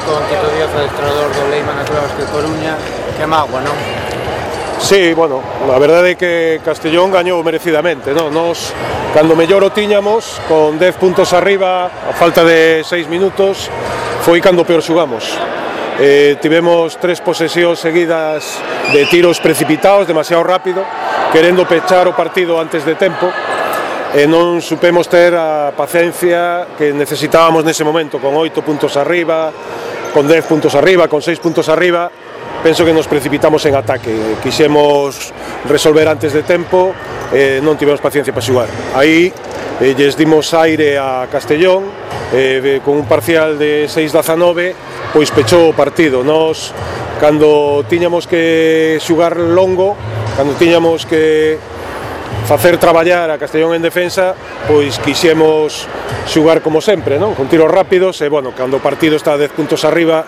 con Tito Díaz, adestrador do Leima na Club Basque Coruña, que mágoa, non? Sí, bueno, a verdade é que Castellón gañou merecidamente, non? Nos, cando mellor o tiñamos, con 10 puntos arriba, a falta de 6 minutos, foi cando peor xugamos. Tivemos 3 posesións seguidas de tiros precipitados, demasiado rápido, querendo pechar o partido antes de tempo, e non supemos ter a paciencia que necesitábamos nese momento, con 8 puntos arriba, con 10 puntos arriba, con 6 puntos arriba. Penso que nos precipitamos en ataque, quixemos resolver antes de tempo, non tivemos paciencia para xugar. Aí lles dimos aire a Castellón, con un parcial de 6-19, pois pechou o partido. Nos, cando tiñamos que xugar longo, cando tiñamos que facer traballar a Castellón en defensa, pois quixemos xugar como sempre, non? Con tiros rápidos, e bueno, cando o partido está a 10 puntos arriba,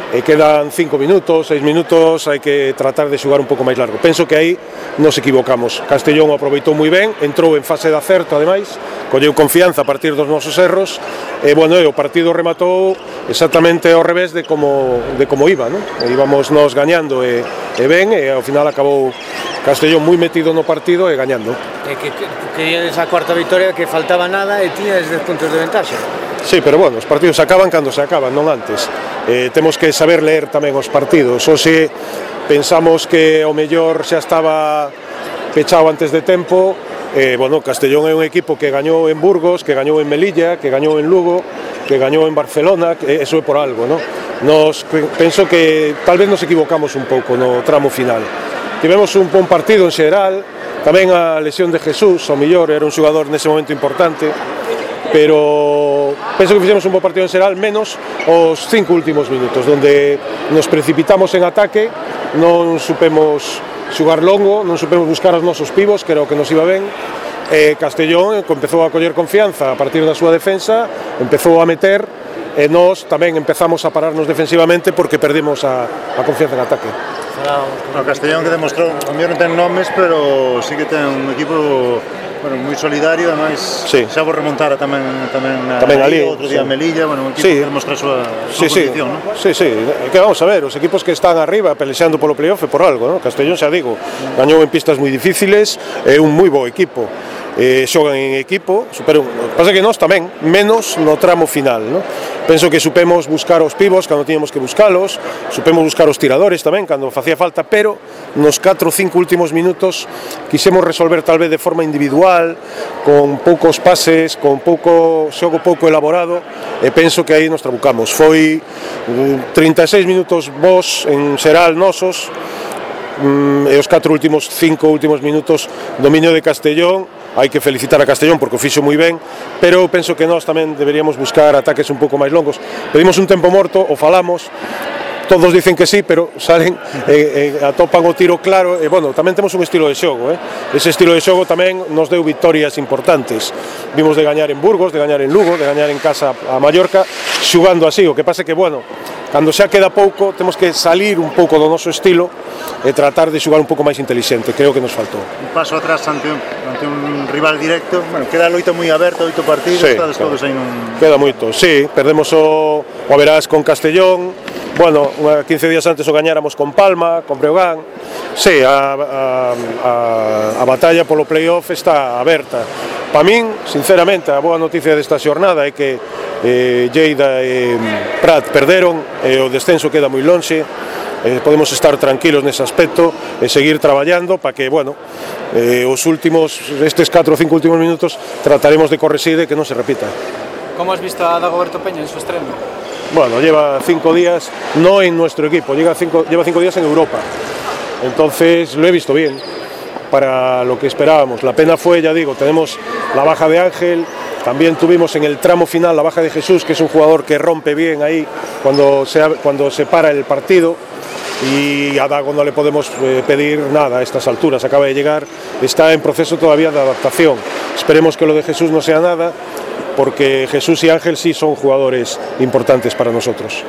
e quedan 5 minutos, 6 minutos, hai que tratar de xugar un pouco máis largo. Penso que aí nos equivocamos. Castellón aproveitou moi ben, entrou en fase de acerto, ademais, colleu confianza a partir dos nosos erros, e bueno, o partido rematou exactamente ao revés de como iba, non? Íbamos nos gañando e ben, e ao final acabou Castellón moi metido no partido e gañando. E que queríades a cuarta victoria, que faltaba nada e tiñades 10 puntos de ventaxa. Sí, pero bueno, os partidos se acaban cando se acaban, non antes. Temos que saber leer tamén os partidos. Hoxe pensamos que o mellor xa estaba pechado antes de tempo. Bueno, Castellón é un equipo que gañou en Burgos, que gañou en Melilla, que gañou en Lugo, que gañou en Barcelona, eso é por algo, non? Penso que tal vez nos equivocamos un pouco no tramo final. Tivemos un bon partido en xeral, tamén a lesión de Jesús, ao mellor era un xogador nese momento importante, pero penso que fixemos un bo partido en xeral, menos os 5 últimos minutos, onde nos precipitamos en ataque, non supemos xugar longo, non supemos buscar os nosos pivos, que era o que nos iba ben, e Castellón empezou a coller confianza a partir da súa defensa, empezou a meter, e nós tamén empezamos a pararnos defensivamente porque perdimos a confianza en ataque. O Castellón que demostrou, a mellor non ten nomes, pero sí que ten un equipo moi solidario, ademais xa vos remontara tamén ali, outro día Melilla, un equipo que demostra a súa condición, non? Sí, que vamos a ver, os equipos que están arriba pelexando polo playoff é por algo, non? Castellón, xa digo, gañou en pistas moi difíciles, é un moi bo equipo. Xogan en equipo, pasa que nós tamén, menos no tramo final, non? Penso que supemos buscar os pivos cando tiñamos que buscalos, supemos buscar os tiradores tamén cando facía falta, pero nos 4 ou 5 últimos minutos quixemos resolver tal vez de forma individual, con poucos pases, con xogo pouco elaborado, e penso que aí nos trabucamos. Foi 36 minutos bons en xeral nosos, e os 5 últimos minutos dominio de Castellón. Hai que felicitar a Castellón porque o fixo moi ben, pero penso que nós tamén deberíamos buscar ataques un pouco máis longos. Pedimos un tempo morto, o falamos, todos dicen que sí, pero salen e atopan o tiro claro, e bueno, tamén temos un estilo de xogo, ese estilo de xogo tamén nos deu victorias importantes. Vimos de gañar en Burgos, de gañar en Lugo, de gañar en casa a Mallorca, xugando así, o que pasa que, bueno, cando xa queda pouco, temos que salir un pouco do noso estilo e tratar de xogar un pouco máis inteligente, creo que nos faltou. Un paso atrás ante un rival directo, queda a loita moi aberta, 8 partidos, estades todos aí nun... Queda moito, sí, perdemos o Verás con Castellón, bueno, 15 días antes o gañáramos con Palma, con Breogán, sí, a batalla polo playoff está aberta. Para min, sinceramente, a boa noticia desta xornada é que Lleida e Prat perderon, e o descenso queda moi lonxe, podemos estar tranquilos nese aspecto e seguir traballando para que, bueno, estes 4 ou 5 últimos minutos trataremos de corregir e que non se repita. Como has visto a Dagoberto Peña en su estreno? Bueno, lleva 5 días, no en nuestro equipo, lleva 5 días en Europa, entonces lo he visto bien para lo que esperábamos. La pena fue, ya digo, tenemos la baja de Ángel, también tuvimos en el tramo final la baja de Jesús, que es un jugador que rompe bien ahí cuando se para el partido, y a Dago no le podemos pedir nada a estas alturas, acaba de llegar, está en proceso todavía de adaptación. Esperemos que lo de Jesús no sea nada, porque Jesús y Ángel sí son jugadores importantes para nosotros.